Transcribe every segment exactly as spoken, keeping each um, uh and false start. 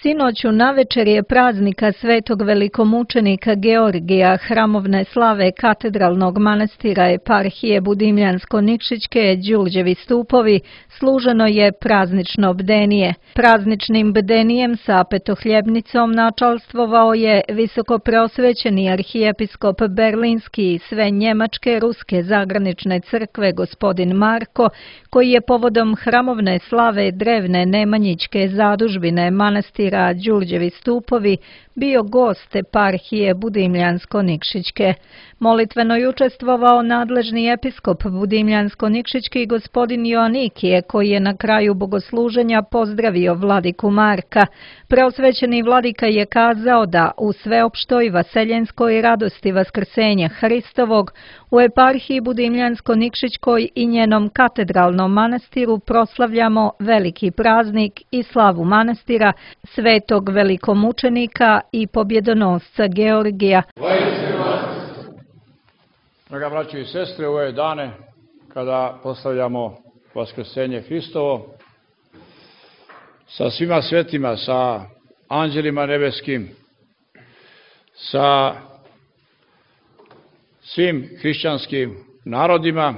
Sinoć u navečerje praznika svetog velikomučenika Georgija hramovne slave katedralnog manastira eparhije Budimljansko-Nikšićke Đurđevi stupovi služeno je praznično bdenije. Prazničnim bdenijem sa petohljebnicom načalstvovao je visokopreosvećeni arhijepiskop Berlinski i sve njemačke ruske zagranične crkve gospodin Marko, koji je povodom hramovne slave drevne Nemanjićke zadužbine manastira Đurđevi stupovi bio gost eparhije Budimljansko-Nikšićke. Molitveno je učestvovao nadležni episkop Budimljansko-Nikšićki gospodin Joanikije, koji je na kraju bogosluženja pozdravio vladiku Marka. Preosvećeni vladika je kazao da u sveopštoj vaseljenskoj radosti vaskrsenja Hristovog u eparhiji Budimljansko-Nikšićkoj i njenom katedralnom manastiru proslavljamo veliki praznik i slavu manastira svetog velikomučenika i pobjedonosca Georgija. Draga braćo i sestre, u ove dane kada proslavljamo vaskrsenje Hristovo, sa svima svetima, sa anđelima nebeskim, sa svim hrišćanskim narodima,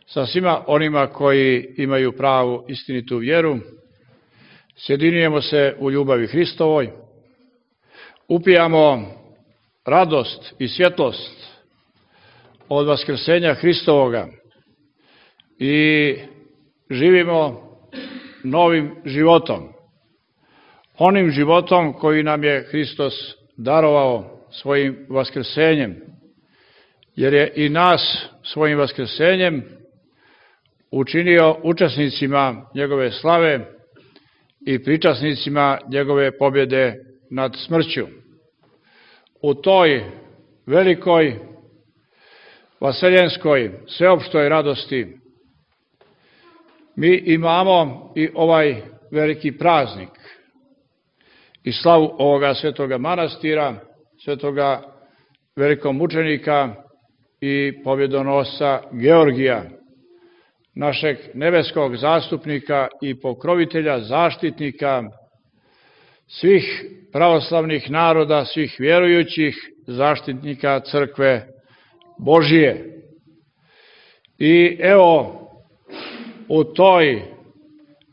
sa svima onima koji imaju pravu istinitu vjeru, sjedinjujemo se u ljubavi Hristovoj, upijamo radost i svjetlost od vaskrsenja Hristovoga i živimo novim životom, onim životom koji nam je Hristos darovao svojim vaskrsenjem, jer je i nas svojim vaskrsenjem učinio učesnicima njegove slave i pričasnicima njegove pobjede nad smrću. U toj velikoj vaseljenskoj sveopštoj radosti mi imamo i ovaj veliki praznik i slavu ovoga svetoga manastira, svetoga velikomučenika i pobjedonosca Georgija, našeg nebeskog zastupnika i pokrovitelja, zaštitnika svih pravoslavnih naroda, svih vjerujućih, zaštitnika crkve Božije. I evo, u toj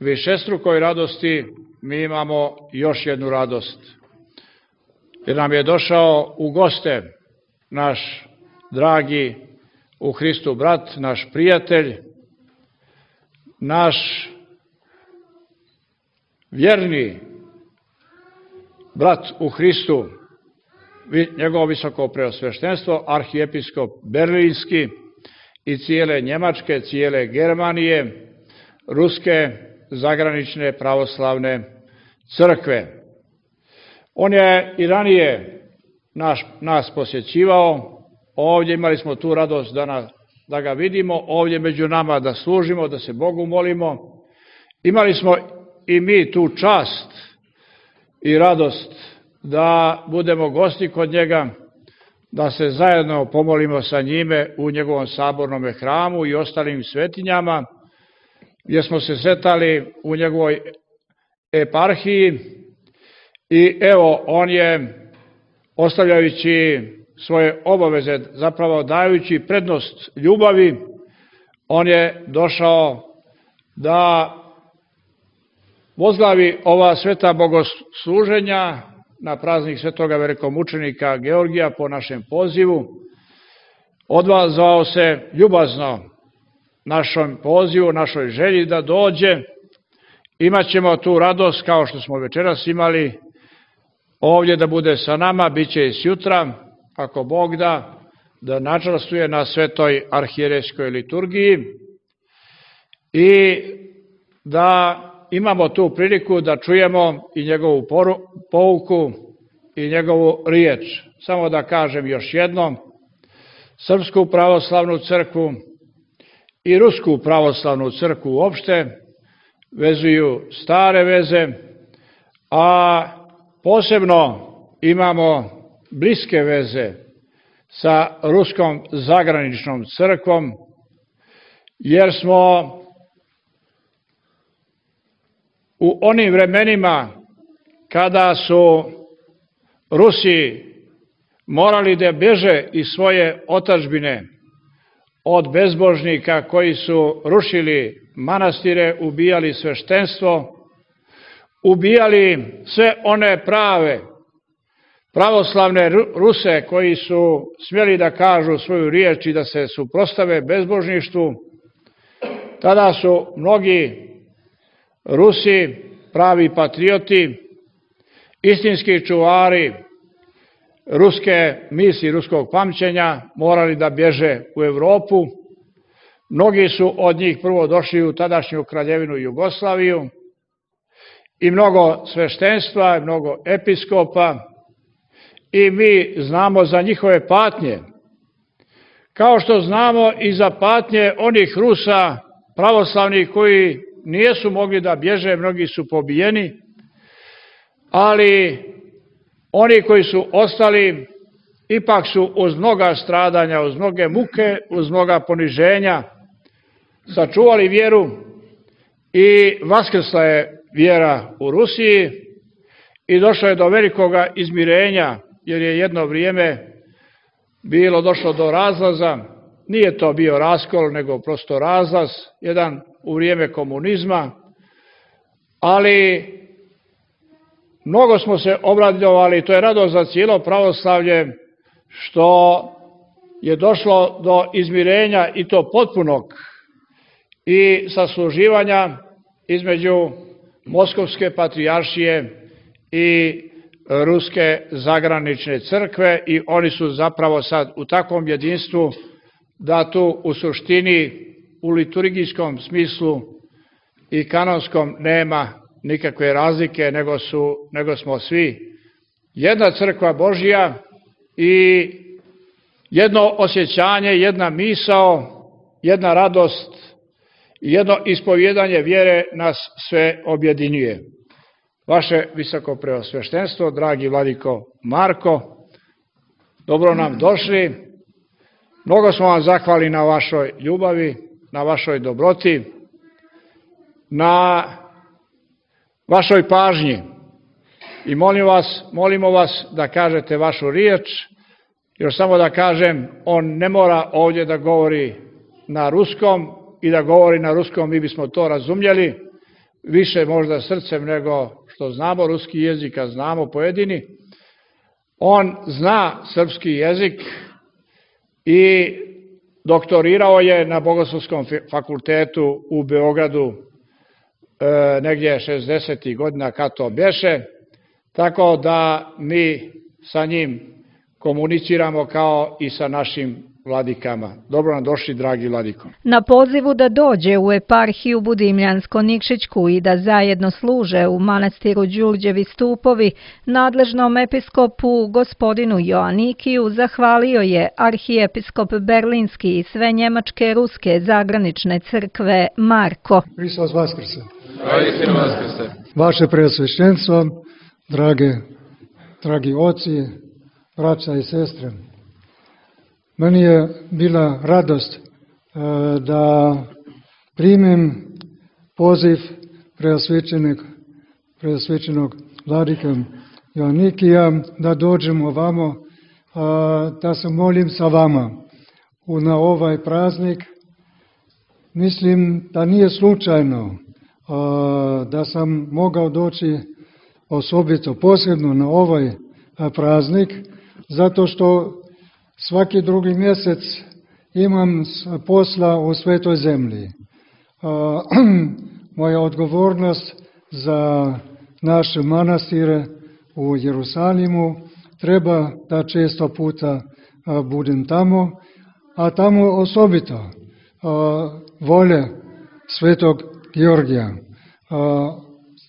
višestrukoj radosti mi imamo još jednu radost, jer nam je došao u goste naš dragi u Hristu brat, naš prijatelj, naš vjerni brat u Hristu, njegovo visoko preosveštenstvo, arhijepiskop Berlinski i cijele Njemačke, cijele Germanije, ruske zagranične pravoslavne crkve. On je i ranije naš, nas posjećivao, ovdje imali smo tu radost da, na, da ga vidimo, ovdje među nama da služimo, da se Bogu molimo. Imali smo i mi tu čast i radost da budemo gosti kod njega, da se zajedno pomolimo sa njime u njegovom sabornom hramu i ostalim svetinjama, gdje smo se sretali u njegovoj eparhiji. I evo, on je, ostavljajući svoje obaveze, zapravo dajući prednost ljubavi, on je došao da vozglavi ova sveta bogosluženja na praznik svetoga velikomučenika Georgija po našem pozivu. Odvazao se ljubazno našom pozivu, našoj želji da dođe. Imaćemo tu radost, kao što smo večeras imali, ovdje da bude sa nama, bit će i sjutra, ako Bog da, da načastvuje na svetoj arhijerejskoj liturgiji i da imamo tu priliku da čujemo i njegovu pouku i njegovu riječ. Samo da kažem još jednom, Srpsku pravoslavnu crkvu i Rusku pravoslavnu crkvu uopšte vezuju stare veze, a posebno imamo bliske veze sa Ruskom zagraničnom crkvom, jer smo u onim vremenima kada su Rusi morali da beže iz svoje otadžbine od bezbožnika koji su rušili manastire, ubijali sveštenstvo, ubijali sve one prave, pravoslavne Ruse koji su smjeli da kažu svoju riječ i da se suprotstave bezbožništvu. Tada su mnogi Rusi, pravi patrioti, istinski čuvari ruske misli, ruskog pamćenja, morali da bježe u Evropu. Mnogi su od njih prvo došli u tadašnju kraljevinu Jugoslaviju i mnogo sveštenstva, mnogo episkopa, i mi znamo za njihove patnje, kao što znamo i za patnje onih Rusa pravoslavnih koji nisu mogli da bježe, mnogi su pobijeni, ali oni koji su ostali ipak su uz mnoga stradanja, uz mnoge muke, uz mnoga poniženja sačuvali vjeru i vaskrsla je vjera u Rusiji i došlo je do velikoga izmirenja, jer je jedno vrijeme bilo došlo do razlaza. Nije to bio raskol, nego prosto razlaz, jedan u vrijeme komunizma, ali mnogo smo se obradovali, to je radost za cijelo pravoslavlje, što je došlo do izmirenja i to potpunog i sasluživanja između Moskovske patrijaršije i Ruske zagranične crkve, i oni su zapravo sad u takvom jedinstvu da tu u suštini u liturgijskom smislu i kanonskom nema nikakve razlike, nego, su, nego smo svi jedna crkva Božja i jedno osjećanje, jedna misao, jedna radost, jedno ispovjedanje vjere nas sve objedinjuje. Vaše visoko preosveštenstvo, dragi vladiko Marko, dobro nam došli. Mnogo smo vam zahvali na vašoj ljubavi, na vašoj dobroti, na vašoj pažnji i molim vas, molimo vas da kažete vašu riječ. Još samo da kažem, on ne mora ovdje da govori na ruskom, i da govori na ruskom mi bismo to razumjeli, više možda srcem nego što znamo ruski jezik, a znamo pojedini. On zna srpski jezik i doktorirao je na Bogoslovskom fakultetu u Beogradu e, negdje šezdesetih godina kad to bješe, tako da mi sa njim komuniciramo kao i sa našim vladikama. Dobro nam došli, dragi vladiko. Na pozivu da dođe u eparhiju Budimljansko-Nikšićku i da zajedno služe u manastiru Đurđevi stupovi, nadležnom episkopu gospodinu Joanikiju zahvalio je arhijepiskop Berlinski i sve njemačke ruske zagranične crkve Marko. Hristos Vaskrse. Vaše preosveštenstvo, drage, dragi oci, braća i sestre, meni je bila radost da primim poziv preosvećenog, preosvećenog vladike Joanikija da dođem ovamo, da se molim sa vama na ovaj praznik. Mislim da nije slučajno da sam mogao doći osobito posebno na ovaj praznik, zato što svaki drugi mjesec imam posla u Svetoj zemlji. Moja odgovornost za naše manastire u Jerusalimu treba da često puta budem tamo, a tamo osobito volje Svetog Georgija.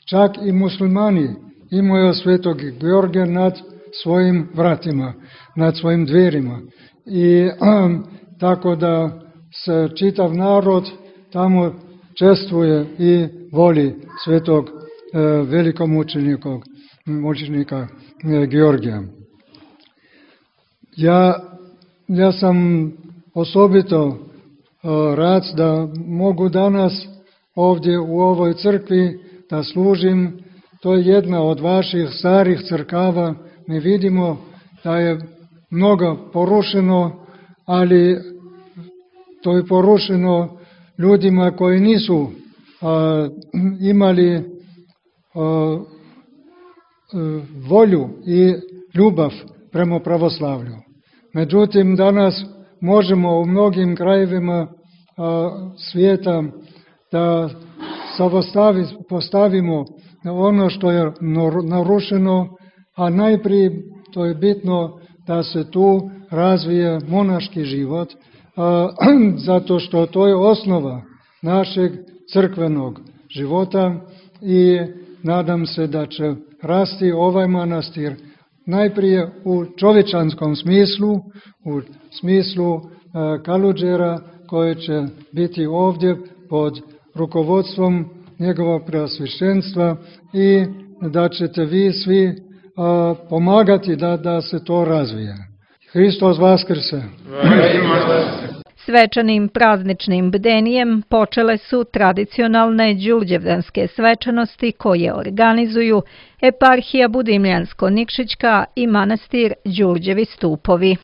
Čak i muslimani imaju Svetog Georgija nad svojim vratima, nad svojim dverima. I um, tako da se čitav narod tamo čestvuje i voli Svetog uh, velikomučenika mučenika uh, Georgija. Ja, ja sam osobito uh, rad da mogu danas ovdje u ovoj crkvi da služim to je jedna od vaših starih crkava. Mi vidimo da je mnogo porušeno, ali to je porušeno ljudima koji nisu a, imali a, volju i ljubav prema pravoslavlju. Međutim, danas možemo u mnogim krajevima a, svijeta da postavimo ono što je narušeno, a najprije to je bitno da se tu razvije monaški život, a, zato što to je osnova našeg crkvenog života i nadam se da će rasti ovaj manastir najprije u čovječanskom smislu, u smislu a, Kaluđera koji će biti ovdje pod rukovodstvom njegova preosveštenstva i da ćete vi svi a, pomagati da, da se to razvije. Hristos Vaskrse! Svečanim prazničnim bdenijem počele su tradicionalne đurđevdanske svečanosti koje organizuju Eparhija Budimljansko-Nikšićka i manastir Đurđevi Stupovi.